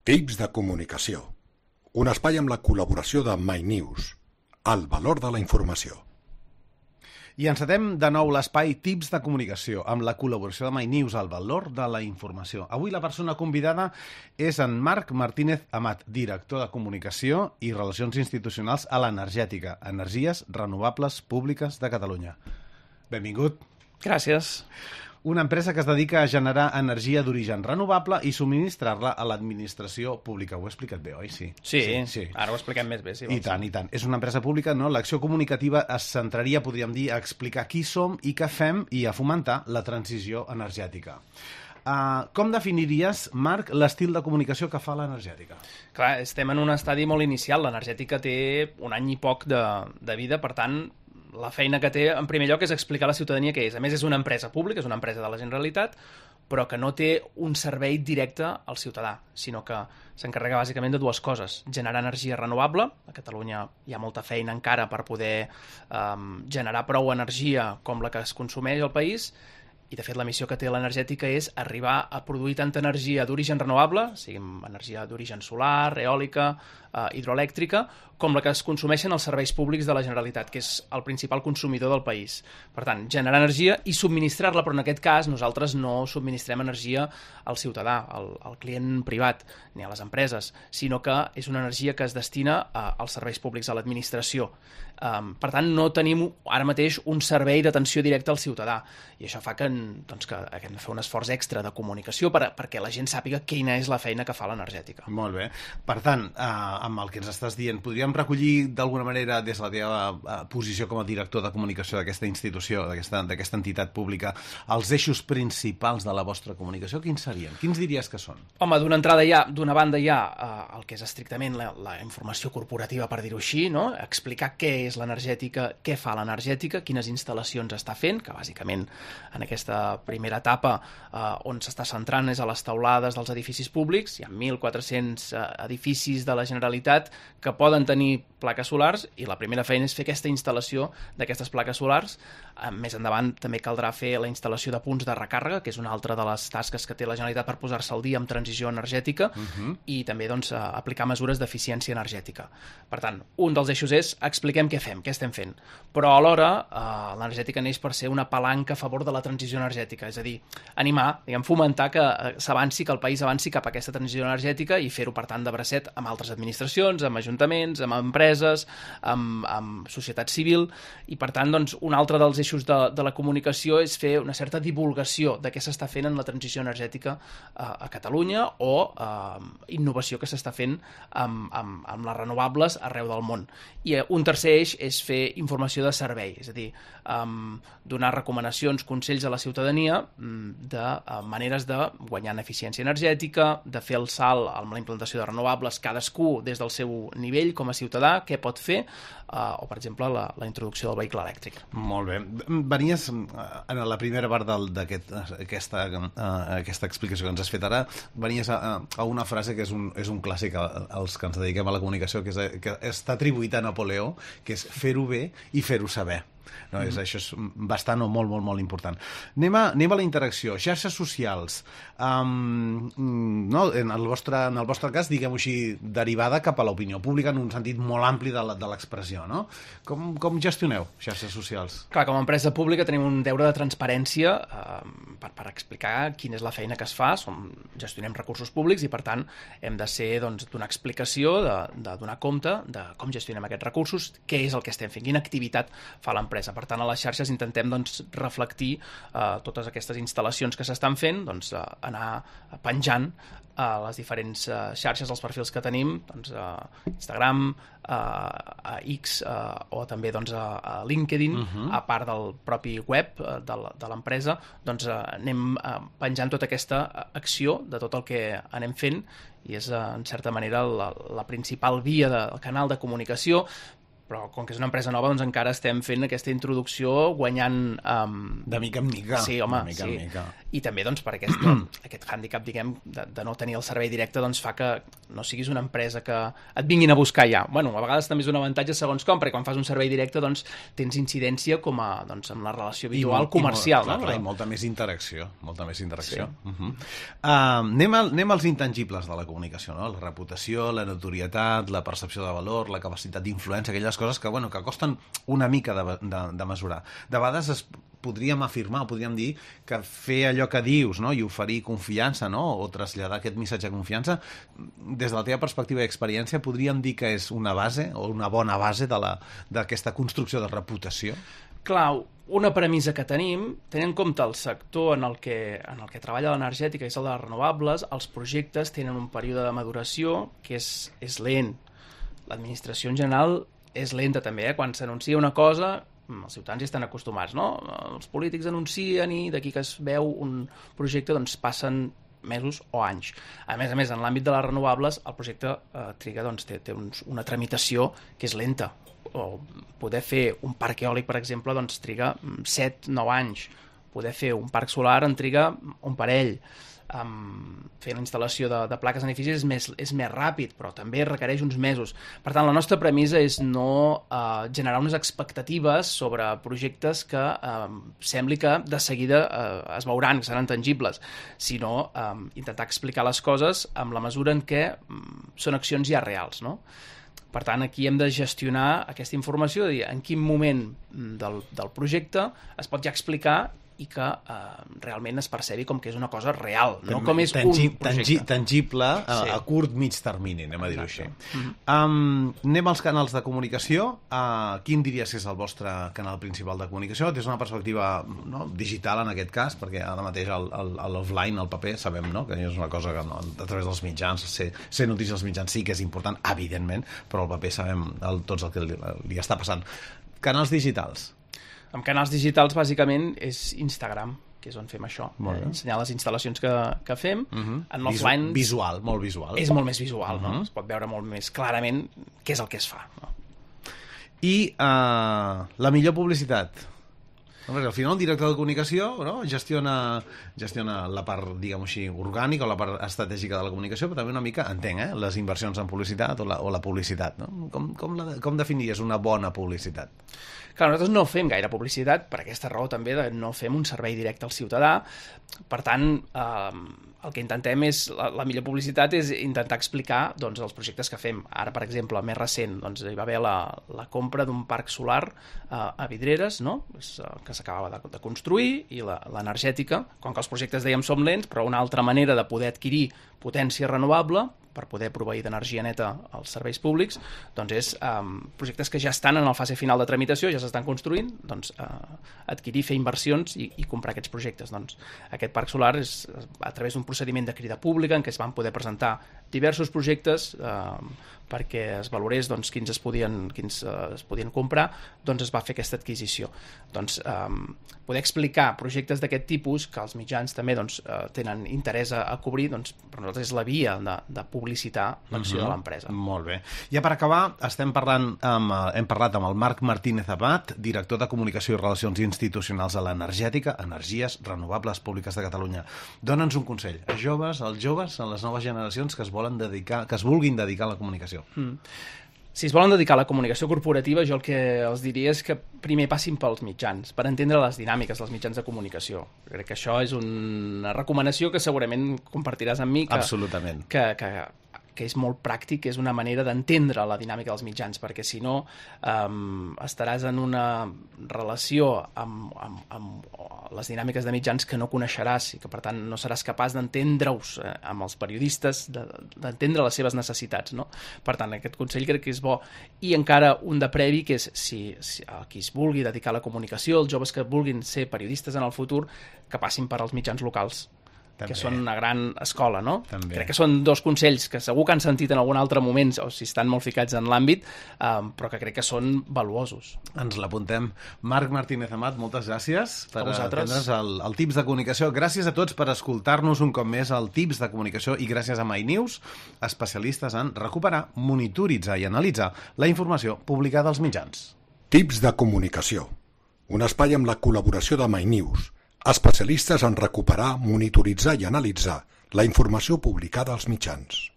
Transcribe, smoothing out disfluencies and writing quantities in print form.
Tips de comunicació. Un espai amb la col·laboració de MyNews. El valor de la informació. I encetem de nou l'espai Tips de comunicació amb la col·laboració de MyNews, el valor de la informació. Avui la persona convidada és en Marc Martínez Amat, director de comunicació i relacions institucionals a l'Energètica, Energies Renovables Públiques de Catalunya. Benvingut. Gràcies. Una empresa que es dedica a generar energia d'origen renovable i subministrar-la a l'administració pública. Ho he explicat bé, oi? Sí. Sí. Ara ho expliquem més bé, si vols. I tant. És una empresa pública, no? L'acció comunicativa es centraria, podríem dir, a explicar qui som i què fem i a fomentar la transició energètica. Com definiries, Marc, l'estil de comunicació que fa l'Energètica? Clar, estem en un estadi molt inicial. L'Energètica té un any i poc de vida, per tant, la feina que té, en primer lloc, és explicar a la ciutadania què és. A més, és una empresa pública, és una empresa de la Generalitat, però que no té un servei directe al ciutadà, sinó que s'encarrega bàsicament de dues coses. Generar energia renovable. A Catalunya hi ha molta feina encara per poder generar prou energia com la que es consumeix al país, i de fet la missió que té l'Energètica és arribar a produir tanta energia d'origen renovable, sigui energia d'origen solar, eòlica, hidroelèctrica, com la que es consumeixen els serveis públics de la Generalitat, que és el principal consumidor del país. Per tant, generar energia i subministrar-la, però en aquest cas nosaltres no subministrem energia al ciutadà, al client privat, ni a les empreses, sinó que és una energia que es destina als serveis públics, a l'administració. Per tant, no tenim ara mateix un servei d'atenció directa al ciutadà, i això fa que hem de fer un esforç extra de comunicació perquè la gent sàpiga quina és la feina que fa l'Energètica. Molt bé. Per tant, amb el que ens estàs dient, podríem recollir d'alguna manera, des de la teva posició com a director de comunicació d'aquesta institució, d'aquesta entitat pública, els eixos principals de la vostra comunicació, quins serien? Quins diries que són? Home, d'una banda hi ha el que és estrictament la informació corporativa, per dir-ho així, no? Explicar què és l'Energètica, què fa l'Energètica, quines instal·lacions està fent, que bàsicament en aquesta primera etapa on s'està centrant és a les teulades dels edificis públics. Hi ha 1.400 edificis de la Generalitat que poden tenir plaques solars, i la primera feina és fer aquesta instal·lació d'aquestes plaques solars. Més endavant també caldrà fer la instal·lació de punts de recàrrega, que és una altra de les tasques que té la Generalitat per posar-se al dia amb transició energètica, i també aplicar mesures d'eficiència energètica. Per tant, un dels eixos és expliquem què fem, què estem fent. Però alhora l'Energètica neix per ser una palanca a favor de la transició energètica, és a dir, animar, fomentar que s'avanci, que el país avanci cap a aquesta transició energètica i fer-ho, per tant, de bracet amb altres administracions, amb ajuntaments, amb empreses, amb societat civil, i per tant, un altre dels eixos de la comunicació és fer una certa divulgació de què s'està fent en la transició energètica a Catalunya, o innovació que s'està fent amb les renovables arreu del món. I un tercer eix és fer informació de servei, és a dir, donar recomanacions, consells a la ciutadania de maneres de guanyar en eficiència energètica, de fer el salt amb la implantació de renovables, cadascú des del seu nivell com a ciutadà, què pot fer, o, per exemple, la introducció del vehicle elèctric. Molt bé. Venies, en la primera part d'aquesta explicació que ens has fet ara, venies a una frase que és un clàssic als que ens dediquem a la comunicació, que està atribuït a Napoleó, que és fer-ho bé i fer-ho saber. No, això és bastant o molt, molt, molt important. Anem a la interacció. Xarxes socials. En el vostre cas, diguem-ho així, derivada cap a l'opinió pública en un sentit molt ampli de l'expressió, no? Com gestioneu xarxes socials? Clar, com a empresa pública tenim un deure de transparència per explicar quina és la feina que es fa. Gestionem recursos públics i, per tant, hem de ser donar explicació, de donar compte de com gestionem aquests recursos, què és el que estem fent, quina activitat fa l'empresa. Per tant, a les xarxes intentem reflectir totes aquestes instal·lacions que s'estan fent, anar penjant a les diferents xarxes, els perfils que tenim, Instagram, a X, o també a LinkedIn, a part del propi web de l'empresa, anem penjant tota aquesta acció de tot el que anem fent, i és, en certa manera, la principal via del canal de comunicació. Però com que és una empresa nova, encara estem fent aquesta introducció, guanyant... De mica en mica. Sí, home, de mica en mica. I també per aquest hàndicap, diguem, de no tenir el servei directe, fa que no siguis una empresa que et vinguin a buscar ja. Bueno, a vegades també és un avantatge segons com, perquè quan fas un servei directe doncs, tens incidència com a, doncs, amb la relació habitual comercial. I molta més interacció. Sí. Anem als intangibles de la comunicació, no? La reputació, la notorietat, la percepció de valor, la capacitat d'influència, aquelles coses que costen una mica de mesurar. De vegades podríem afirmar, podríem dir que fer allò que dius, no? I oferir confiança, no? O traslladar aquest missatge de confiança, des de la teva perspectiva i experiència, podríem dir que és una base o una bona base d'aquesta construcció de reputació? Clar, una premissa que tenim, tenint en compte el sector en el que treballa l'energètica i és el de les renovables, els projectes tenen un període de maduració que és lent. L'administració en general és lenta també, Quan s'anuncia una cosa, els ciutadans hi estan acostumats, no? Els polítics anuncien i d'aquí que es veu un projecte doncs passen mesos o anys. A més, en l'àmbit de les renovables, el projecte triga, doncs, té una tramitació que és lenta. O poder fer un parc eòlic, per exemple, doncs triga 7-9 anys. Poder fer un parc solar en triga un parell. Fer la instal·lació de plaques en edificis és més ràpid, però també requereix uns mesos. Per tant, la nostra premissa és no generar unes expectatives sobre projectes que sembli que de seguida es veuran, que seran tangibles, sinó intentar explicar les coses amb la mesura en què són accions ja reals, no? Per tant, aquí hem de gestionar aquesta informació, de dir en quin moment del projecte es pot ja explicar i que realment es percebi com que és una cosa real, no com és un projecte. Tangible a curt, mig termini, anem a dir-ho així. Anem als canals de comunicació. Quin diries que és el vostre canal principal de comunicació? Des d'una perspectiva digital, en aquest cas, perquè ara mateix l'offline, el paper, sabem que és una cosa que a través dels mitjans, ser notícies als mitjans sí que és important, evidentment, però el paper sabem tots el que li està passant. Canals digitals. Amb canals digitals, bàsicament, és Instagram, que és on fem això. Ensenyar les instal·lacions que fem. En l'offline... Visual, molt visual. És molt més visual, no? Es pot veure molt més clarament què és el que es fa. No? I la millor publicitat? Al final, el director de comunicació gestiona la part, diguem-ho així, orgànica o la part estratègica de la comunicació, però també una mica, entenc, les inversions en publicitat o la publicitat. No? Com definiries una bona publicitat? Clar, nosaltres no fem gaire publicitat, per aquesta raó també de no fem un servei directe al ciutadà. Per tant, el que intentem és, la millor publicitat és intentar explicar doncs, els projectes que fem. Ara, per exemple, el més recent, doncs, hi va haver la compra d'un parc solar a Vidreres, no? Que s'acabava de construir, i l'energètica, com que els projectes, dèiem, som lents, però una altra manera de poder adquirir potència renovable per poder proveir d'energia neta als serveis públics, doncs és projectes que ja estan en la fase final de tramitació, ja s'estan construint, doncs adquirir, fer inversions i comprar aquests projectes. Doncs aquest parc solar és a través d'un procediment de crida pública en què es van poder presentar diversos projectes perquè es valorés doncs, quins es podien comprar, doncs es va fer aquesta adquisició. Doncs poder explicar projectes d'aquest tipus que els mitjans també doncs, tenen interès a cobrir, doncs per nosaltres és la via de publicitar l'acció de l'empresa. Molt bé. Ja per acabar, hem parlat amb el Marc Martínez Amat, director de Comunicació i Relacions Institucionals a l'Energètica, Energies Renovables Públiques de Catalunya. Dóna'ns un consell als joves, a les noves generacions que es vulguin dedicar a la comunicació. Si es volen dedicar a la comunicació corporativa, jo el que els diria és que primer passin pels mitjans, per entendre les dinàmiques dels mitjans de comunicació. Crec que això és una recomanació que segurament compartiràs amb mi. Absolutament. Que és molt pràctic, és una manera d'entendre la dinàmica dels mitjans, perquè si no estaràs en una relació amb les dinàmiques de mitjans que no coneixeràs i que per tant no seràs capaç d'entendre-us amb els periodistes, d'entendre les seves necessitats, no? Per tant, aquest consell crec que és bo. I encara un de previ, que és si qui es vulgui dedicar a la comunicació, els joves que vulguin ser periodistes en el futur, que passin per als mitjans locals, també, que són una gran escola, no? També. Crec que són dos consells que segur que han sentit en algun altre moment, o si estan molt ficats en l'àmbit, però que crec que són valuosos. Ens l'apuntem. Marc Martínez Amat, moltes gràcies per atendre's el Tips de Comunicació. Gràcies a tots per escoltar-nos un cop més al Tips de Comunicació i gràcies a MyNews, especialistes en recuperar, monitoritzar i analitzar la informació publicada als mitjans. Tips de Comunicació, un espai amb la col·laboració de MyNews, especialistes en recuperar, monitoritzar i analitzar la informació publicada als mitjans.